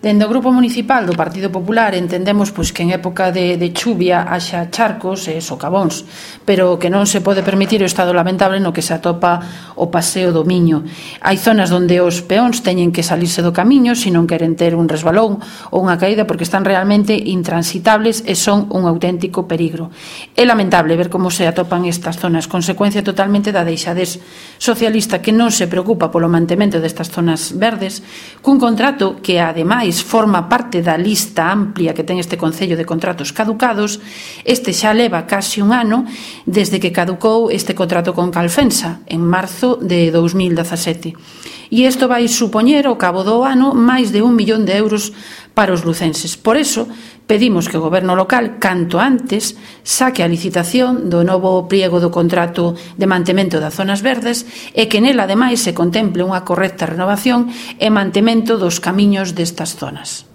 Dende o Grupo Municipal do Partido Popular entendemos que en época de chuvia haxa charcos e socavóns, pero que non se pode permitir o estado lamentable no que se atopa o Paseo do Miño. Hai zonas onde os peóns teñen que salirse do camiño se non queren ter un resbalón ou unha caída porque están realmente intransitables e son un auténtico peligro. É lamentable ver como se atopan estas zonas, consecuencia totalmente da deixadez socialista que non se preocupa polo mantemento destas zonas verdes, cun contrato que ademais forma parte da lista amplia que ten este Concello de contratos caducados. Este xa leva casi un ano desde que caducou este contrato con Calfensa en marzo de 2017 e isto vai supoñer ao cabo do ano máis de 1 millón de euros para os lucenses. Por iso pedimos que o Goberno local canto antes saque a licitación do novo pliego do contrato de mantemento das zonas verdes e que nela ademais se contemple unha correcta renovación e mantemento dos camiños destas zonas.